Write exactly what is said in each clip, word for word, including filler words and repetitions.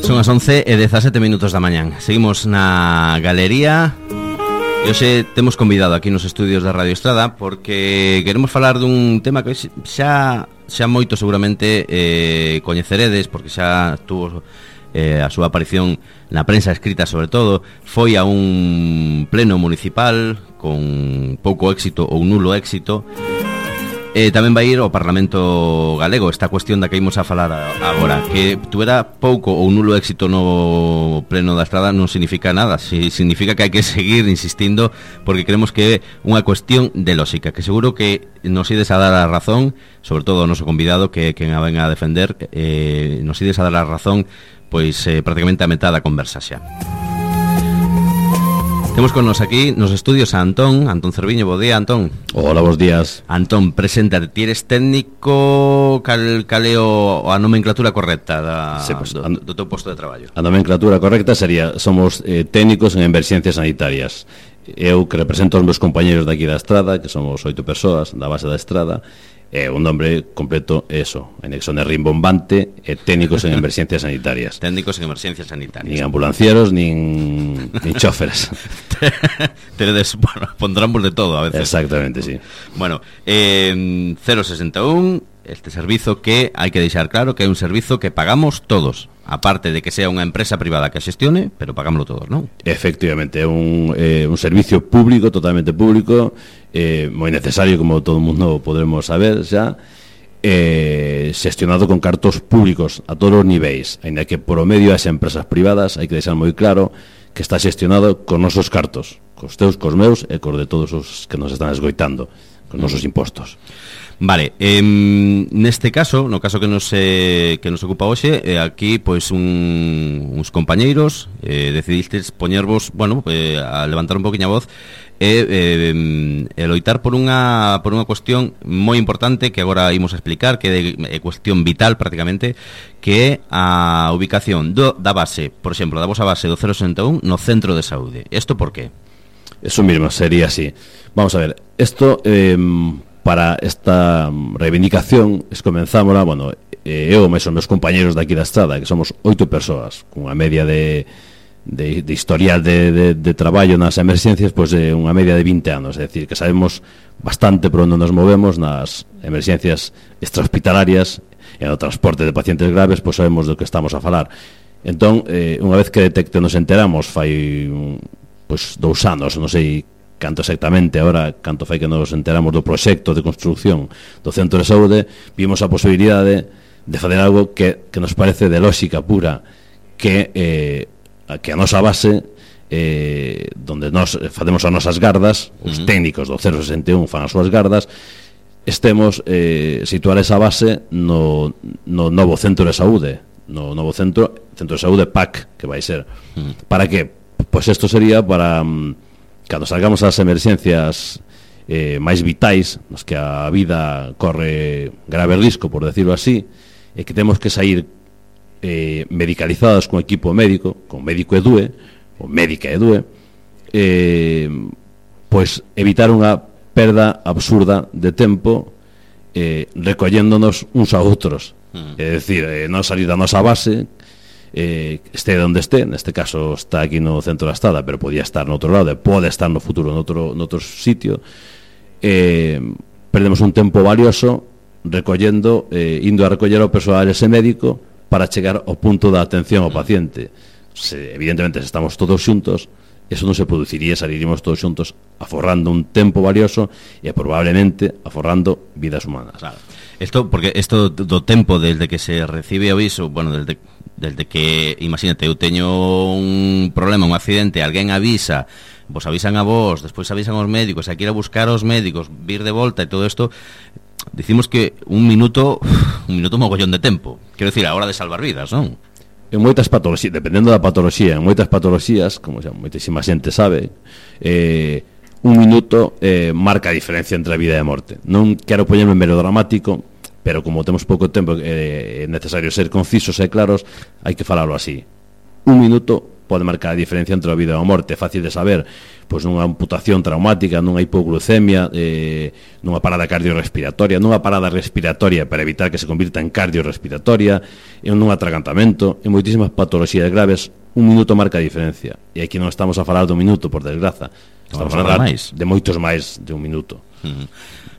Son as once e dezasete minutos da mañán. Seguimos na galería. E hoxe temos convidado aquí nos estudios da Radio Estrada porque queremos falar dun tema que xa xa moito seguramente eh, coñeceredes, porque xa tuvo eh, a súa aparición na prensa escrita sobre todo. Foi a un pleno municipal con pouco éxito ou nulo éxito. Eh, tamén vai ir ao Parlamento Galego esta cuestión da que imos a falar agora, que tuvera pouco ou nulo éxito no pleno da Estrada non significa nada, si, significa que hai que seguir insistindo, porque creemos que é unha cuestión de lógica, que seguro que nos ides a dar a razón, sobre todo o noso convidado que quen a venga a defender, eh, nos ides a dar a razón pois eh, prácticamente a metade da conversa xa. Temos con nos aquí nos estudios a Antón, Antón Cerviño. Bo día, Antón. Hola, bos días. Antón, preséntate. Ti eres técnico, cal, caleo a nomenclatura correcta da, sí, pues, do, do teu posto de traballo? A nomenclatura correcta sería, somos eh, técnicos en emerxencias sanitarias. Eu que represento aos meus compañeros daqui da Estrada, que somos oito persoas da base da Estrada, e un nombre completo é eso, anexo de rimbombante e técnicos en emerxencias sanitarias. Técnicos en emerxencias sanitarias. Nin ambulancieros, nin, nin choferes. Teredes, bueno, pondramos de todo a veces. Exactamente, sí. Bueno, eh, cero sesenta e un, este servizo que hai que deixar claro que é un servizo que pagamos todos, aparte de que sea unha empresa privada que a xestione, pero pagámoslo todos, non? Efectivamente, é un, eh, un servicio público, totalmente público, eh, moi necesario, como todo o mundo podremos saber xa, eh, xestionado con cartos públicos a todos os niveis, ainda que por o medio as empresas privadas, hai que deixar moi claro que está xestionado con nosos cartos, cos teus, cos meus e cos de todos os que nos están esgoitando, con nosos impostos. Vale, eh, neste caso, no caso que nos eh, que nos ocupa hoxe, eh, aquí pois un, uns compañeiros eh, decidistes poñervos, bueno, eh, a levantar un poquinho a voz e eh, eh, loitar por unha por unha cuestión moi importante que agora imos a explicar, que é de, cuestión vital prácticamente, que é a ubicación do, da base, por exemplo, da vosa base do cero sesenta e un no centro de saúde. Isto por qué? Eso mismo, sería así. Vamos a ver, isto... Eh, para esta reivindicación es comenzámola, bueno, eh, eu e os meus compañeros daqui da Estrada, que somos oito persoas, cunha media de, de, de historial de, de, de traballo nas emerxencias, pois pues, de unha media de vinte anos, é dicir, que sabemos bastante por onde nos movemos nas emerxencias extrahospitalarias e no transporte de pacientes graves, pois pues sabemos do que estamos a falar. Entón, eh, unha vez que detecte nos enteramos, fai pois pues, dous anos, non sei canto exactamente, ahora canto fai que nos enteramos do proxecto de construcción do centro de saúde, vimos a posibilidade de fazer algo que, que nos parece de lógica pura, que eh, que a nosa base eh, donde nos facemos as nosas gardas, os uh-huh. técnicos do cero sesenta e un fan as súas gardas, estemos eh, situar esa base no, no novo centro de saúde, no novo centro centro de saúde P A C, que vai ser. Uh-huh. Para que? Pois isto sería para cando salgamos ás emerxencias eh, máis vitais, nos que a vida corre grave risco, por decirlo así, e que temos que sair eh, medicalizados con equipo médico, con médico E D U E, ou médica E D U E, eh, pois evitar unha perda absurda de tempo eh, recolléndonos uns a outros. Mm. É dicir, eh, non salir da nosa base, Eh, este onde este, neste caso está aquí no centro da Estrada, pero podía estar no outro lado e pode estar no futuro no outro, no outro sitio, eh, perdemos un tempo valioso recollendo, eh, indo a recoller ao persoal ese médico para chegar ao punto da atención ao paciente. Se, evidentemente, se estamos todos xuntos, eso non se produciría, saliríamos todos xuntos aforrando un tempo valioso e probablemente aforrando vidas humanas. Claro. Esto, porque isto do tempo desde que se recibe o aviso, bueno, desde desde que, imagínate, eu teño un problema, un accidente, alguén avisa, vos avisan a vos, despois avisan aos médicos, hai que ir a buscar aos médicos, vir de volta e todo isto, dicimos que un minuto, un minuto mogollón de tempo. Quero dicir, a hora de salvar vidas, non? En moitas patoloxías, dependendo da patoloxía, en moitas patoloxías, como xa moitísima xente sabe, eh, un minuto eh, marca a diferencia entre a vida e a morte. Non quero poñerme melodramático, pero como temos pouco tempo, eh, é necesario ser concisos e claros, hai que falalo así. Un minuto pode marcar a diferencia entre a vida e a morte. É fácil de saber, pois nunha amputación traumática, nunha hipoglucemia, eh, nunha parada cardiorrespiratoria, nunha parada respiratoria para evitar que se convirta en cardiorrespiratoria, en un atragantamento, en moitísimas patoloxías graves, un minuto marca a diferencia. E aquí non estamos a falar de un minuto, por desgraza. Estamos a falar de moitos máis de un minuto. Uh-huh.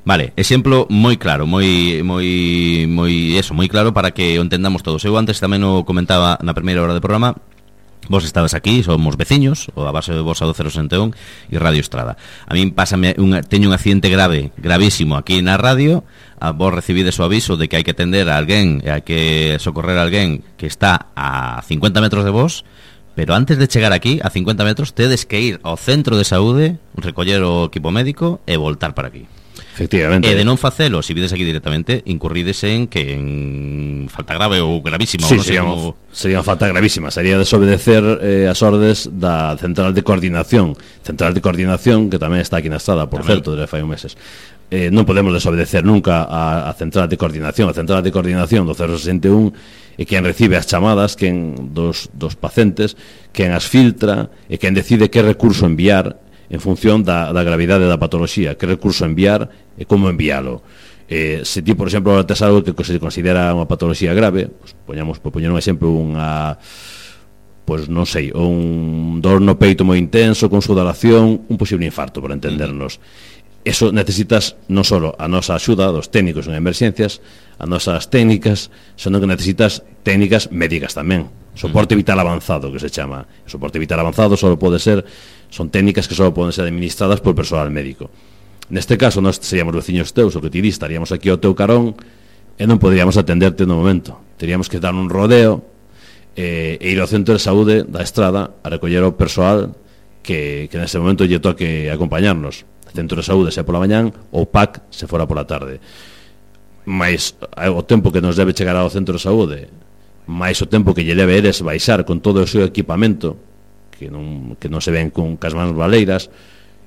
Vale, exemplo moi claro, moi moi moi eso, moi claro para que o entendamos todos. Eu antes tamén o comentaba na primeira hora do programa. Vos estabas aquí, somos veciños, o a base de vos a do cero sesenta e un e Radio Estrada. A min pásame un, teño un accidente grave, gravísimo aquí na radio. A vos recibides o aviso de que hai que atender a alguén, hai que socorrer a alguén que está a cincuenta metros de vos. Pero antes de chegar aquí, a cincuenta metros, tedes que ir ao centro de saúde, recoller o equipo médico e voltar para aquí. Efectivamente. E de non facelo, se vides aquí directamente, incurrides en que en falta grave ou gravísima. Sí, ou non sería, como... sería unha falta gravísima. Sería desobedecer eh, as ordes da Central de Coordinación. Central de Coordinación, que tamén está aquí na Estrada, por tamén. Certo, desde fai un meses. Eh, non podemos desobedecer nunca a, a Central de Coordinación. A Central de Coordinación do cero sesenta e un e quen recibe as chamadas, quen dos, dos pacientes, quen as filtra e quen decide que recurso enviar en función da, da gravidade da patoloxía, que recurso enviar e como envialo. Eh, se ti, por exemplo, tes algo que se considera unha patoloxía grave, pues, poñamos, por poñer un exemplo, unha, pois non sei, un dor no peito moi intenso, con sudoración, un posible infarto, por entendernos. Eso necesitas non só a nosa axuda dos técnicos en emerxencias, as nosas técnicas, senón que necesitas técnicas médicas tamén. Soporte vital avanzado, que se chama. O soporte vital avanzado só pode ser, son técnicas que só poden ser administradas por persoal médico. Neste caso, nós seríamos veciños teus, o que ti dis, estaríamos aquí ao teu carón e non poderíamos atenderte no momento. Teríamos que dar un rodeo e, e ir ao centro de saúde da Estrada a recoller o persoal que, que nese momento lle toque acompañarnos. O centro de saúde se pola mañán, ou P A C se fora pola tarde. Mais o tempo que nos debe chegar ao centro de saúde, máis o tempo que lle leve eres baixar con todo o seu equipamento, que non, que non se ven con cas mans baleiras,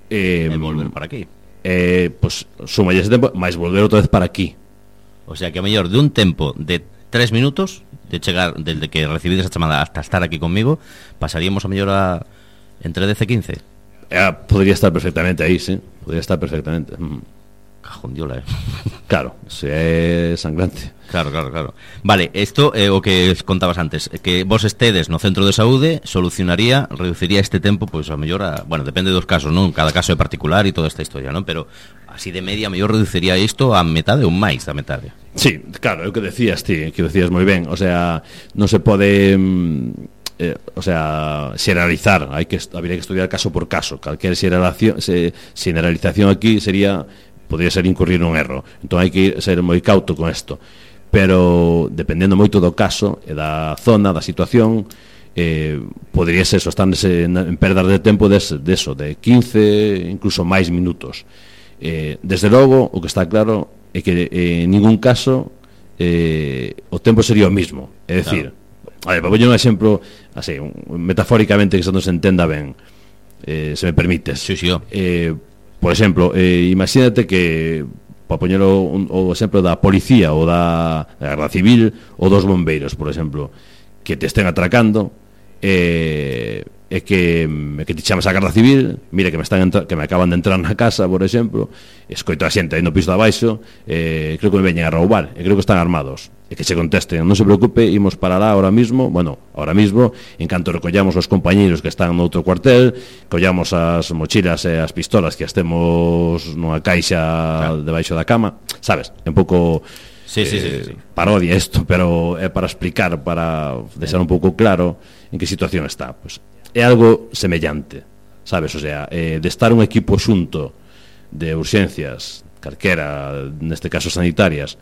eh, e volver para aquí, eh, pues, suma ese tempo, máis volver outra vez para aquí. O sea que a mellor de un tempo de tres minutos de chegar, desde que recibides a chamada hasta estar aquí conmigo, pasaríamos a mellor a entre dez e quince. Eh, podría estar perfectamente aí, sí, podría estar perfectamente. mm. Cajondiola, eh. Claro, se é sangrante. Claro, claro, claro. Vale, isto é eh, o que contabas antes, que vos estedes no centro de saúde solucionaría, reduciría este tempo, pois pues, a mellor a, bueno, depende dos casos, non? Cada caso é particular e toda esta historia, non? Pero así de media, a mellor reduciría isto a metade ou máis da metade. Sí, claro, é o que decías ti, que decías moi ben, o sea, non se pode eh, o sea, xeneralizar, hai que habría que estudiar caso por caso. Calquer xeneralización, se, xeneralización aquí sería podría ser incurrir nun erro. Entón hai que ser moi cauto con isto. Pero dependendo moito do caso e da zona, da situación, eh, podría ser eso, están en perdas de tempo de, de eso, de quince, incluso máis minutos. Eh, desde logo, o que está claro é que eh, en ningún caso eh, o tempo sería o mismo. É dicir, claro. A ver, para poñer un exemplo así, un, metafóricamente, que se nos entenda ben, eh, se me permites. Sí, sí, eh, por exemplo, eh, imagínate que, para poñer o, o exemplo da policía ou da, da Garda Civil ou dos bombeiros, por exemplo, que te estén atracando e, e que, que te chamas a Garda Civil, mira que me están entra, que me acaban de entrar na casa, por exemplo, escoito a xente aí no piso de abaixo, eh, creo que me veñen a roubar, e creo que están armados, e que se contesten, non se preocupe, imos para lá ahora mismo, bueno, ahora mismo, en canto recollamos os compañeiros que están no outro cuartel, collamos as mochilas e as pistolas que as temos nunha caixa, claro, debaixo da cama, sabes, un pouco sí, eh, sí, sí, sí. parodia isto, pero é para explicar, para deixar un pouco claro en que situación está. Pues é algo semellante, sabes, o sea, eh, de estar un equipo xunto de urxencias, calquera, neste caso sanitarias,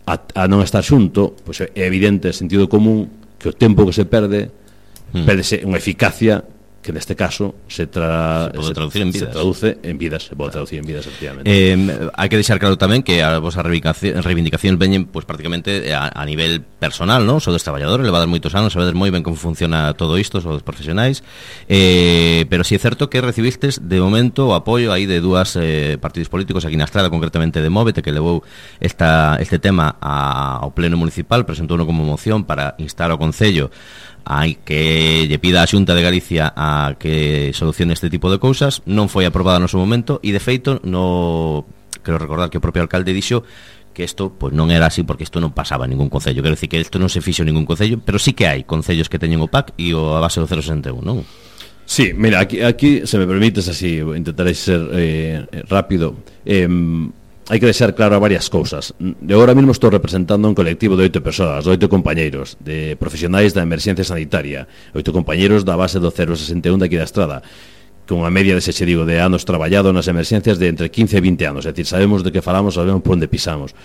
a, a non estar xunto, pois é evidente, sentido común, que o tempo que se perde hmm. perdese unha eficacia que neste caso se, tra... se, pode traducir en vidas. Se traduce en vidas, se pode traducir en vidas, efectivamente. Eh, hai que deixar claro tamén que a vosa reivindicación, reivindicación veñen pues, prácticamente a, a nivel personal, ¿no? Sodes traballadores, levades moitos anos, sabedes moi ben como funciona todo isto, sodes profesionais, eh, pero si é certo que recibistes de momento o apoio aí de dúas eh, partidos políticos aquí na Estrada, concretamente de Móvete, que levou esta, este tema a, ao Pleno Municipal, presentouno como moción para instar ao Concello hai que lle pida a Xunta de Galicia a que solucione este tipo de cousas. Non foi aprobada no seu momento e de feito no quero recordar que o propio alcalde dixo que isto pues, non era así porque isto non pasaba en ningún concello. Quero dicir que isto non se fixo en ningún concello, pero sí que hai concellos que teñen o P A C e o a base do cero sesenta e un, non? Sí, mira, aquí, aquí se me permites así, intentaré ser eh, rápido. Eh, hai que deixar claro varias cousas. Eu agora mesmo estou representando un colectivo de oito persoas, de oito compañeiros, de profesionais da emerxencia sanitaria, oito compañeiros da base do cero sesenta e un daqui da Estrada, con unha media de, se che digo, de anos traballado nas emerxencias de entre quince e vinte anos, é dicir, sabemos de que falamos, sabemos por onde pisamos.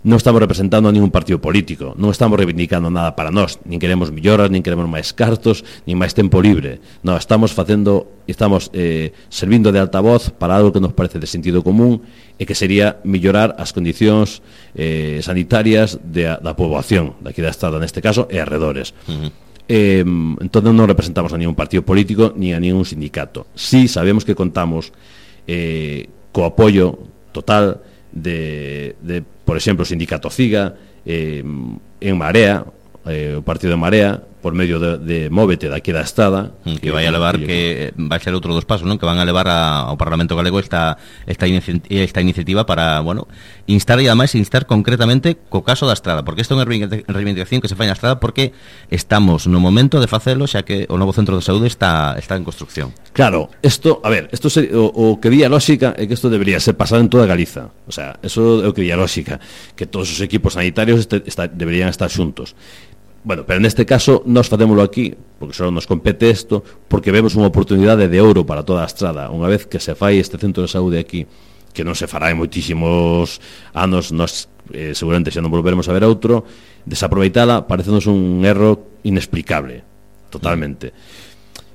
Non estamos representando a ningún partido político, non estamos reivindicando nada para nós, nin queremos melloras, nin queremos máis cartos, nin máis tempo libre. Non, estamos facendo, estamos eh, servindo de altavoz para algo que nos parece de sentido común e que sería mellorar as condicións eh, sanitarias de, da poboación daqui da Estrada, neste caso, e arredores. Uh-huh. Eh, entón non representamos a ningún partido político ni a ningún sindicato. Sí sabemos que contamos eh, co apoio total de, de por exemplo, o sindicato CIGA, eh, en Marea, eh, o partido de Marea, por medio de, de Móvete daqui da Estrada, que, que vai a levar que, que vai ser outro dos pasos, non? Que van a levar a, ao Parlamento Galego esta esta, inici esta iniciativa para, bueno, instar e ademais instar concretamente co caso da Estrada, porque isto é unha reivindicación que se fai na Estrada porque estamos no momento de facelo, xa que o novo centro de saúde está está en construcción. Claro, isto, a ver, isto se, o, o que vía lógica é que isto debería ser pasado en toda Galiza. O sea, eso é o que vía lógica, que todos os equipos sanitarios este, está, deberían estar xuntos. Bueno, pero neste caso nós facémolo aquí porque só nos compete isto, porque vemos unha oportunidade de ouro para toda a Estrada. Unha vez que se fai este centro de saúde aquí, que non se fará en moitísimos anos, nós eh, seguramente xa non volveremos a ver outro, desaproveitala parecenos un erro inexplicable, totalmente.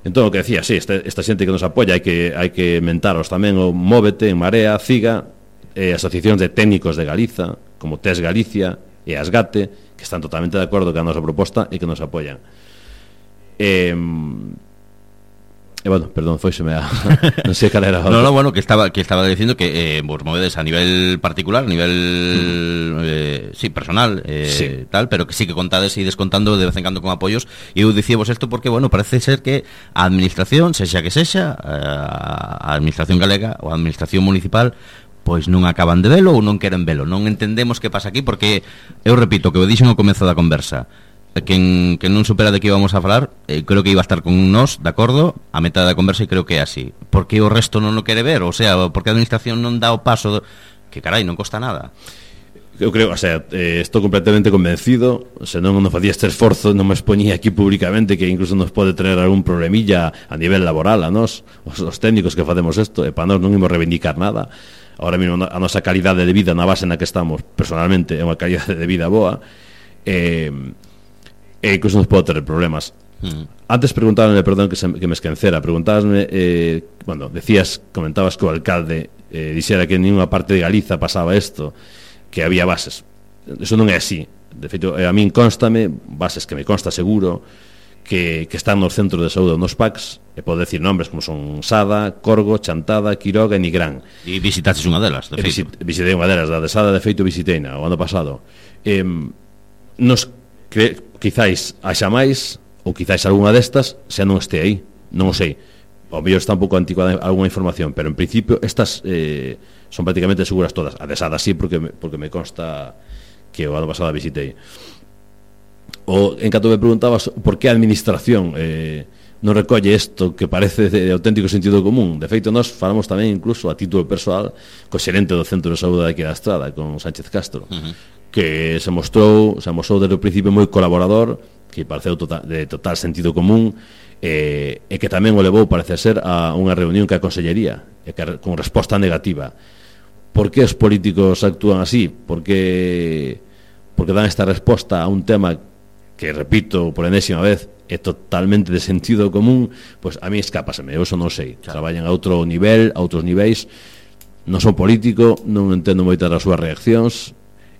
Entón, o que decía, sí, esta, esta xente que nos apoia hai que, hai que mentaros tamén o Móvete, en Marea, CIGA, eh, asociacións de técnicos de Galiza, como T E S Galicia e Asgate, que están totalmente de acordo con a nosa proposta e que nos apoian. Eh, e bueno, perdón, foiseme a non sei cal era. No, no, bueno, que estaba que estaba dicindo que eh, vos movedes a nivel particular, a nivel mm. eh, sí, personal, eh, sí. tal, pero que sí que contades e descontando de vez en cando con apoios. E eu dicíamos isto porque, bueno, parece ser que a administración, sexa que sexa, a administración galega ou a administración municipal, pois non acaban de velo ou non queren velo. Non entendemos que pasa aquí porque, eu repito, que o dixen ao comezo da conversa, quen, que non supera de que íbamos a falar, eh, creo que iba a estar con nós, de acordo, a metade da conversa, e creo que é así. Porque o resto non o quere ver, o sea, porque a administración non dá o paso, que carai, non costa nada. Eu creo, o sea, eh, estou completamente convencido, se non non facía este esforzo, non me expoñía aquí públicamente, que incluso nos pode traer algún problemilla a nivel laboral a nós, os, os técnicos que facemos isto, e para nós non imos reivindicar nada. Ahora mesmo a nosa calidade de vida na base na que estamos, personalmente, é unha calidade de vida boa, e, e incluso nos pode ter problemas. Mm. Antes preguntábame, perdón que, se, que me esquencera, preguntábame, eh, bueno, decías, comentabas que o alcalde eh, dixera que en ninguna parte de Galiza pasaba isto, que había bases. Eso non é así. De feito, a min constame, bases que me consta seguro, que, que están nos centros de saúde nos P A Cs, e podo decir nombres como son Sada, Corgo, Chantada, Quiroga e Nigrán. E visitaste unha delas, de feito. Visit, visitei unha delas, da de Sada, de feito visiteina o ano pasado. Eh, nos cre, quizáis haxa máis, ou quizáis algunha destas xa non este aí, non o sei. Ao mellor está un pouco anticuada algunha información, pero en principio estas eh, son prácticamente seguras todas. A de Sada sí, porque me, porque me consta que o ano pasado a visitei. O, en canto me preguntabas por que a administración eh, non recolle isto que parece de auténtico sentido común. De feito, nós falamos tamén incluso a título persoal co xerente do Centro de Saúde daqui da Estrada, con Sánchez Castro, uh-huh. que se mostrou se mostrou desde o principio moi colaborador, que pareceu total, de total sentido común, eh, e que tamén o levou, parece ser, a unha reunión que a Consellería, e que con resposta negativa. Por que os políticos actúan así? Por que, porque dan esta resposta a un tema que, repito por enésima vez, é totalmente de sentido común? Pois a mí escápaseme, eu eso non sei. Claro. Traballan a outro nivel, a outros niveis. Non son político, non entendo moitas das súas reaccións.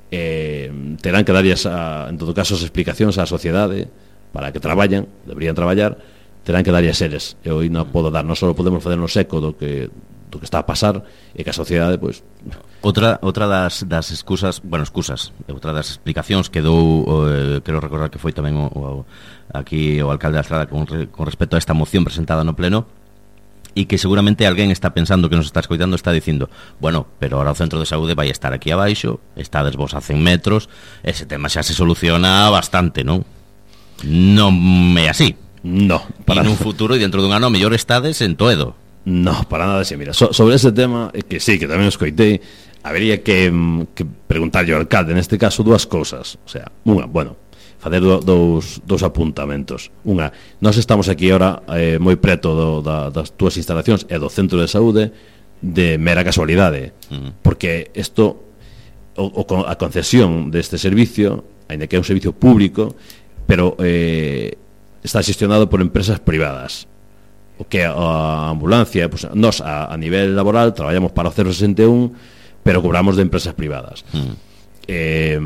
Eh, terán que darlles, a, en todo caso, as explicacións á sociedade para que traballan, deberían traballar, terán que darlles seres. Eu non podo dar, non só podemos facernos eco do que do que está a pasar e que a sociedade, pois... Outra, outra das, das excusas, bueno, excusas, outra das explicacións que dou, eh, quero recordar que foi tamén o, o, aquí o alcalde da Estrada con, con respecto a esta moción presentada no pleno, e que seguramente alguén está pensando que nos está escoitando, está dicindo, bueno, pero ahora o centro de saúde vai estar aquí abaixo, estades vos a cen metros, ese tema xa se soluciona bastante, non? Non é así. No, para nun futuro e dentro dun ano mellor estades en Toedo. No, para nada, sí, mira, so, sobre ese tema, eh, que sí, que tamén os coitei, habería que, que preguntarlle ao alcalde, neste caso, dúas cousas. O sea, unha, bueno, facer do, dous, dous apuntamentos. Unha, nós estamos aquí ahora eh, moi preto do, da, das túas instalacións e do centro de saúde de mera casualidade, uh-huh. porque isto, o, o, a concesión deste servicio, ainda que é un servicio público, pero eh, está xestionado por empresas privadas. O que a ambulancia, pues, nós a, a nivel laboral traballamos para o cero sesenta e un, pero cobramos de empresas privadas. Uh-huh. Eh...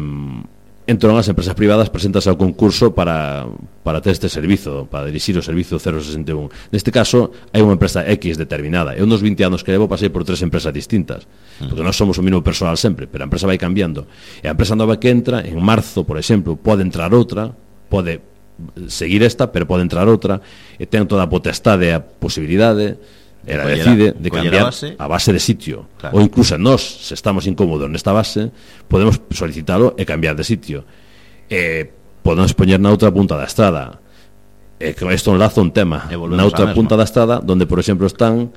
Entón, as empresas privadas presentas ao concurso para, para ter este servizo, para dirixir o servizo cero sesenta e un. Neste caso, hai unha empresa X determinada. Eu nos vinte anos que levo pasei por tres empresas distintas, porque nós somos o mesmo personal sempre, pero a empresa vai cambiando. E a empresa nova que entra, en marzo, por exemplo, pode entrar outra, pode seguir esta, pero pode entrar outra, e ten toda a potestade e a posibilidade, era decide de cambiar a base, a base de sitio, claro. Ou incluso nós, se estamos incómodos nesta base, podemos solicitalo e cambiar de sitio, e podemos poñer na outra punta da estrada, e con isto enlazo un tema na outra punta da estrada, donde por exemplo están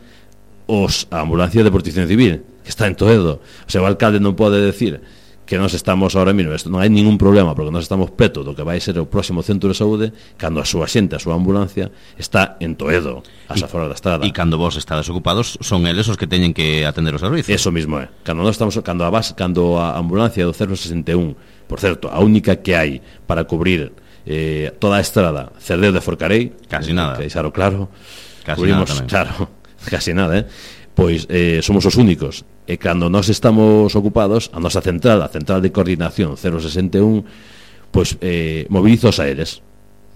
os a ambulancia de protección civil, que está en Toedo. O sea, o alcalde non pode decir que nós estamos ahora mesmo, non hai ningún problema, porque nós estamos preto do que vai ser o próximo centro de saúde, cando a súa xente, a súa ambulancia está en Toedo, as aforas da estrada. E cando vos estades ocupados, son eles os que teñen que atender os servicios. Eso mismo é. Cando nós estamos, cando a base, cando a ambulancia do cero sesenta e un, por certo, a única que hai para cubrir eh, toda a estrada, Cerdeu de Forcarei, casi nada. Que deixaro claro. Casi cubrimos, nada tamén. Claro, casi nada, eh. Pois eh, somos os únicos. E cando nós estamos ocupados, a nosa central, a central de coordinación cero sesenta e un, pois eh, moviliza os aéreos,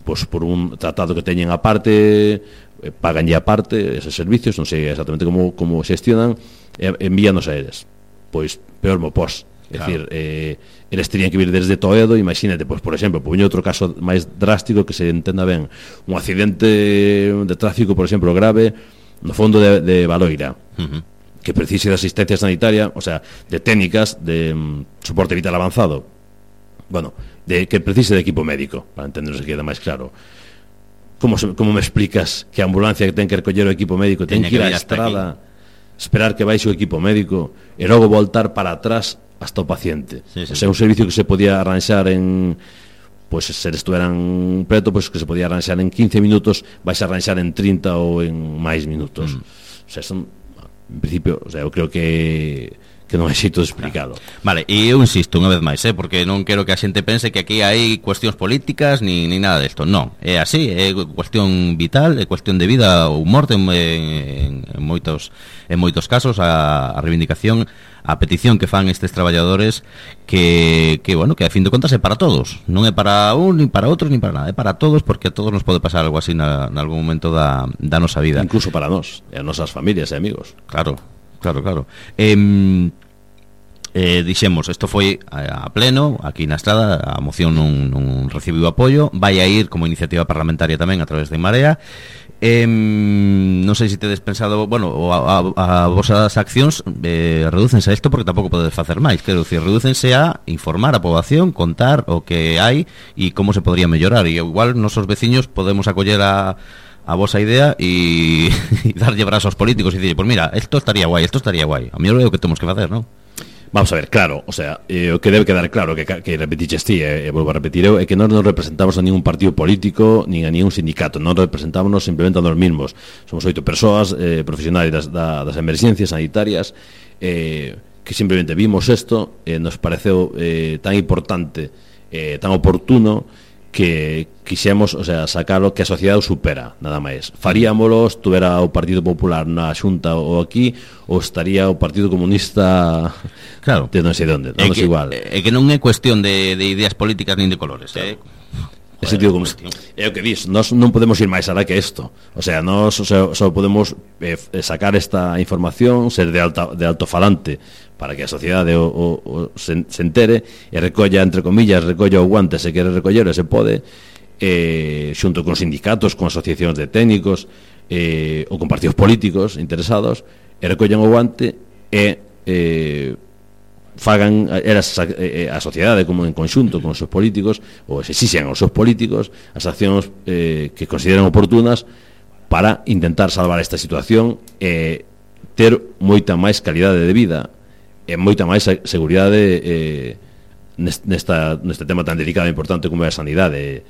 pois por un tratado que teñen aparte, eh, paganlle aparte eses servicios, non sei exactamente como, como xestionan, e envían os aéreos. Pois peor mo pos. É claro. Dicir, eh, eles terían que vir desde Toedo, imagínate, pois, por exemplo, poño outro caso máis drástico que se entenda ben, un accidente de tráfico, por exemplo, grave, no fondo de, de Baloira, uh-huh. que precise de asistencia sanitaria, o sea, de técnicas de um, soporte vital avanzado, bueno, de que precise de equipo médico, para entendernos que quede máis claro. Como, se, como me explicas que a ambulancia que ten que recoller o equipo médico ten que ir á estrada, esperar que baixe o equipo médico e logo voltar para atrás hasta o paciente? Sí, sí, o sea, un servicio que se podía arranxar en... pois pues, se estuveran preto, pois pues, que se podía arranxar en quince minutos, vais a arranxar en trinta ou en máis minutos. Mm. O sea, son, en principio, o sea, eu creo que que non é xeito de explicado. Vale, e eu insisto unha vez máis, eh, porque non quero que a xente pense que aquí hai cuestións políticas ni, ni nada desto. Non, é así, é cuestión vital, é cuestión de vida ou morte en, en, en moitos en moitos casos. A, a reivindicación, a petición que fan estes traballadores que, que, bueno, que a fin de contas é para todos, non é para un, ni para outros, ni para nada, é para todos, porque a todos nos pode pasar algo así na, na algún momento da, da nosa vida. Incluso para nós, e as nosas familias e amigos. Claro, claro, claro. Eh, eh, dixemos, isto foi a, a pleno, aquí na Estrada, a moción non, non recibiu apoio, vai a ir como iniciativa parlamentaria tamén a través de Marea. Eh, non sei se tedes pensado, bueno, a, a, a vosas accións eh, redúcense a isto porque tampouco podedes facer máis, quero dicir, redúcense a informar a poboación, contar o que hai e como se podría mellorar, e igual nosos veciños podemos acoller a a vosa idea e, e darlle brazos aos políticos e dicir, pues mira, esto estaría guai, esto estaría guai, a mellor é o que temos que facer, non? Vamos a ver, claro, o sea, eh, o que debe quedar claro que, que repetiches ti, e eh, volvo a repetir eu, é que non nos representamos a ningún partido político nin a ningún sindicato, non representamos simplemente a nos mismos. Somos oito persoas eh, profesionais das, da, das emerxencias sanitarias eh, que simplemente vimos isto, eh, nos pareceu eh, tan importante, eh, tan oportuno, que quixemos, o sea, sacalo que a sociedade o supera, nada máis. Faríamolo, estuvera o Partido Popular na Xunta ou aquí, ou estaría o Partido Comunista, claro, de non sei onde, non é igual. É que non é cuestión de, de ideas políticas nin de colores, claro. eh? É sentido común. É o que dis, nós non podemos ir máis alá que isto. O sea, nós só, só podemos eh, sacar esta información, ser de, alta, de altofalante para que a sociedade o, o, o se, se entere e recolla, entre comillas, recolla o guante se quere recoller e se pode, eh, xunto con sindicatos, con asociacións de técnicos eh, ou con partidos políticos interesados, e recollan o guante e eh, fagan eras a, a sociedade como en conxunto con os seus políticos ou exixen aos seus políticos as accións eh, que consideren oportunas para intentar salvar esta situación e ter moita máis calidade de vida e moita máis seguridade eh, nesta, neste tema tan delicado e importante como é a sanidade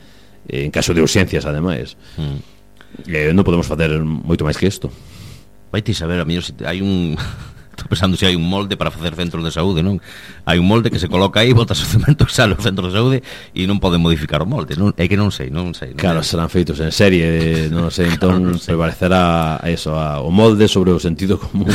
eh, en caso de urxencias ademais mm. eh, non podemos facer moito máis que isto. Vai ti saber, a mellor se hai un estou pensando se hai un molde para facer centros de saúde, non? Hai un molde que se coloca aí, botas o cemento, sale o centro de saúde e non pode modificar o molde, non? É que non sei, non sei. Non claro, é... serán feitos en serie, non sei, entón claro, non sei. Prevalecerá eso, a, o molde sobre o sentido común.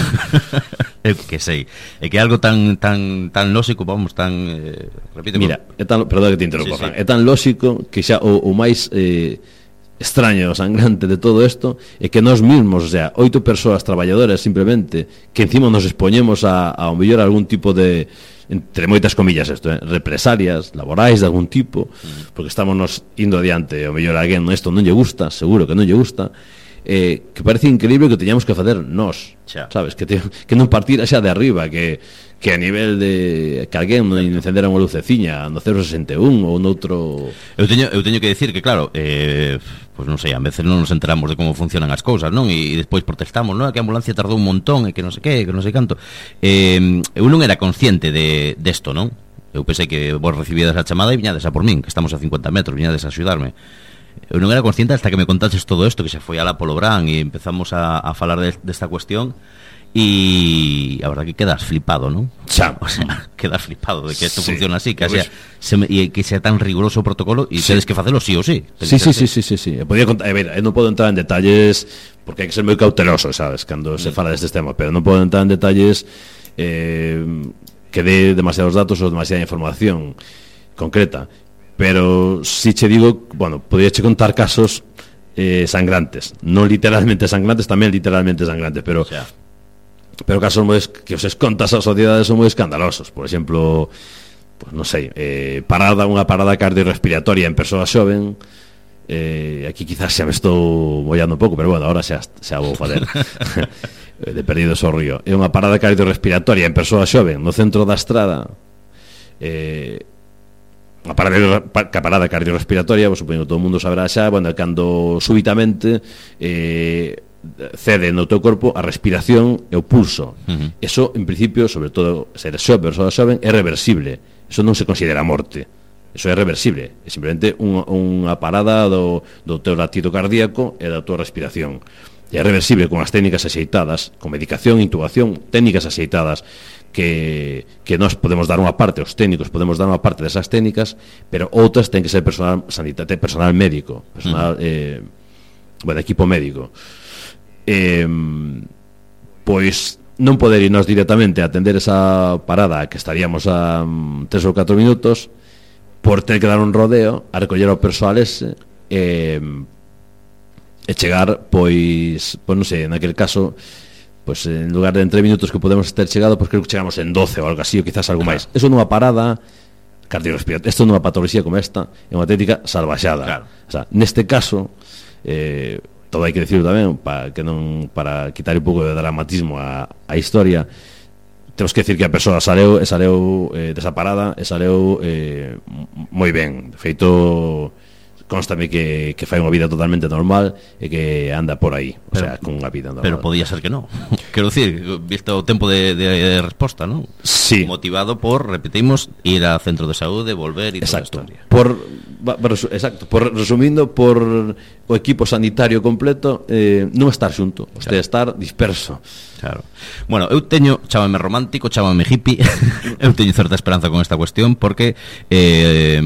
É que sei, é que é algo tan tan tan lóxico, vamos, tan eh, repite. Mira, é tan, perdón que te interrompa, sí, sí. É tan lóxico que xa o, o máis eh, extraño, sangrante de todo isto é que nós mismos, o sea, oito persoas traballadoras simplemente, que encima nos expoñemos a, a un mellor algún tipo de, entre moitas comillas isto, eh, represalias laborais de algún tipo, uh-huh. porque estamos nos indo adiante, o mellor alguén isto non lle gusta, seguro que non lle gusta, eh, que parece increíble que teñamos que facer nós, xa. Sabes, que, te, que non partir xa de arriba, que que a nivel de que alguén non encendera unha luceciña no cero sesenta e un ou noutro... Eu teño, eu teño que decir que, claro, eh, pois non sei, a veces non nos enteramos de como funcionan as cousas, non? E, e despois protestamos, non? Que a ambulancia tardou un montón e que non sei que, que non sei canto. Eh, eu non era consciente de desto, non? Eu pensei que vos recibíades a chamada e viñades a por min, que estamos a cincuenta metros, viñades a axudarme. Eu non era consciente hasta que me contaches todo isto, que se foi alá polo Brán e empezamos a, a falar de, desta cuestión. E a verdad que quedas flipado, ¿no? Xa. O sea, quedas flipado de que isto sí. funciona así, que pues, sea, se me, e que sea tan riguroso o protocolo e sí. tedes que facelo sí ou sí. Sí, sí, sí, sí, sí, sí. Podía contar, a ver, non podo entrar en detalles porque hai que ser moi cauteloso, sabes, cando mm. se fala destes temas, pero non podo entrar en detalles eh, que dé demasiados datos ou demasiada información concreta. Pero si che digo, bueno, podía che contar casos eh, sangrantes, non literalmente sangrantes, tamén literalmente sangrantes, pero xa. Pero casos moi que os contas ás sociedades son moi escandalosos. Por exemplo, pues non sei, eh, parada unha parada cardiorrespiratoria en persoa xoven. Eh, aquí quizás xa me estou mollando un pouco, pero bueno, ahora xa xa vou fazer. De perdido so río. É unha parada cardiorrespiratoria en persoa xoven no centro da estrada. Eh, unha parada, parada cardiorrespiratoria, pues, supoño que todo o mundo saberá xa, bueno, cando súbitamente eh cede no teu corpo a respiración e o pulso. Uh-huh. Eso, en principio, sobre todo se eres xoven, persoa xoven, é reversible. Eso non se considera morte. Eso é reversible. É simplemente unha, unha parada do, do teu latido cardíaco e da tua respiración. E é reversible con as técnicas axeitadas, con medicación, intubación, técnicas axeitadas que, que nós podemos dar unha parte, os técnicos podemos dar unha parte desas técnicas, pero outras ten que ser personal sanitario, personal médico, personal, uh-huh. eh, bueno, equipo médico. Eh, pois non poder irnos directamente a atender esa parada que estaríamos a um, tres ou catro minutos por ter que dar un rodeo a recoller ao persoal ese eh, e chegar pois, pois non sei, naquele caso pois en lugar de en tres minutos que podemos ter chegado, pois creo que chegamos en doce ou algo así, ou quizás algo máis. Eso nunha parada cardiorrespiratoria, isto nunha patoloxía como esta é unha técnica salvaxada, claro. O sea, neste caso eh, todo hai que decirlo tamén para que non para quitar un pouco de dramatismo a, a historia. Temos que decir que a persoa saleu e saleu eh, desa parada e saleu eh, moi ben. De feito, constame que, que fai unha vida totalmente normal e que anda por aí, o pero, sea, con unha vida normal. Pero podía ser que non. Quero dicir, visto o tempo de, de, de resposta, non? Sí. Motivado por, repetimos, ir ao centro de saúde, volver e toda a historia. Por, exacto, por resumindo, por o equipo sanitario completo eh, non estar xunto, o sea, estar disperso. Claro. Bueno, eu teño, chámame romántico, chámame hippie. Eu teño certa esperanza con esta cuestión porque eh,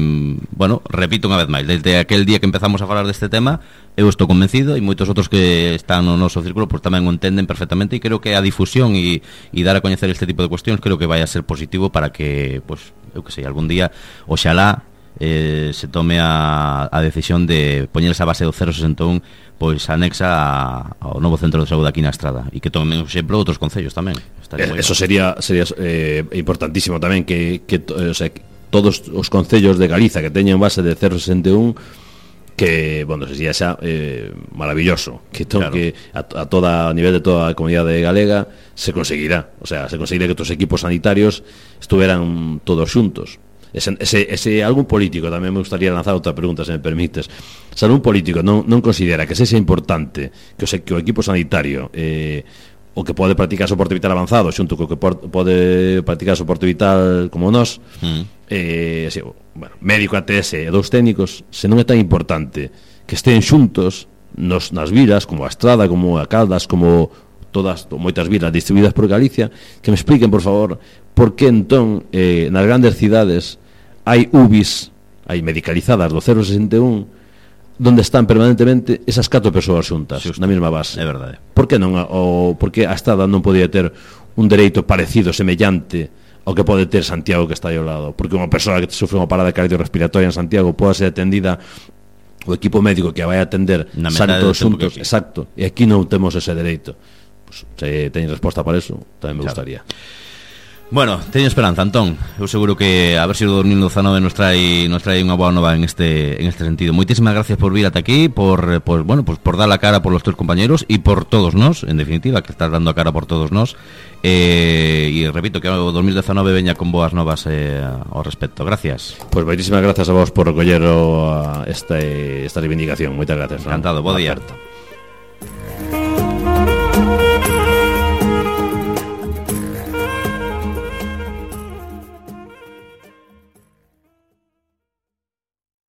bueno, repito unha vez máis, desde aquel día que empezamos a falar deste tema, eu estou convencido e moitos outros que están no noso círculo pues, tamén o entenden perfectamente e creo que a difusión e, e dar a coñecer este tipo de cuestións creo que vai a ser positivo para que, pues, eu que sei, algún día oxalá eh, se tome a, a decisión de poñer esa base do cero sesenta e un pois anexa a, ao novo centro de saúde aquí na Estrada, e que tomen exemplo outros concellos tamén. Eso sería sería eh, importantísimo tamén que, que o sea, que todos os concellos de Galiza que teñen base de cero sesenta e un, que, bueno, sería xa eh, maravilloso, que, to, claro. que a, a toda a nivel de toda a comunidade galega se conseguirá, o sea, se conseguirá que os equipos sanitarios estuveran todos xuntos. Ese, ese, ese algún político, tamén me gustaría lanzar outra pregunta, se me permites. Se algún político non, non considera que sexa importante que o, que o equipo sanitario eh, o que pode practicar soporte vital avanzado xunto co que por, pode practicar soporte vital como nós, mm. eh, así, bueno, médico, A T S e dous técnicos, se non é tan importante que estén xuntos nos, nas vilas, como a Estrada, como a Caldas, como todas, moitas vilas distribuídas por Galicia, que me expliquen, por favor, por que entón eh, nas grandes cidades hai U B Is, hai medicalizadas do cero sesenta e un, donde están permanentemente esas catro persoas xuntas, na mesma base. É verdade. Por que non, o, por que a Estrada non podía ter un dereito parecido, semellante ao que pode ter Santiago, que está aí ao lado? Porque unha persoa que sofre unha parada cardiorrespiratoria en Santiago pode ser atendida o equipo médico que a vai atender san todos xuntos, exacto, e aquí non temos ese dereito. Pues, se teñen resposta para eso, tamén me claro. gustaría. Bueno, teño esperanza, Antón. Eu seguro que a ver se o dos mil dezanove nos trae nos trae unha boa nova en este en este sentido. Moitísimas gracias por vir ata aquí, por pues, bueno, pues por dar la cara por los teus compañeros e por todos nós, en definitiva, que estás dando a cara por todos nós. Eh, e repito que o dos mil dezanove veña con boas novas eh, ao respecto. Gracias. Pois pues, moitísimas gracias a vos por recoller esta esta reivindicación. Moitas gracias. Encantado, bo día.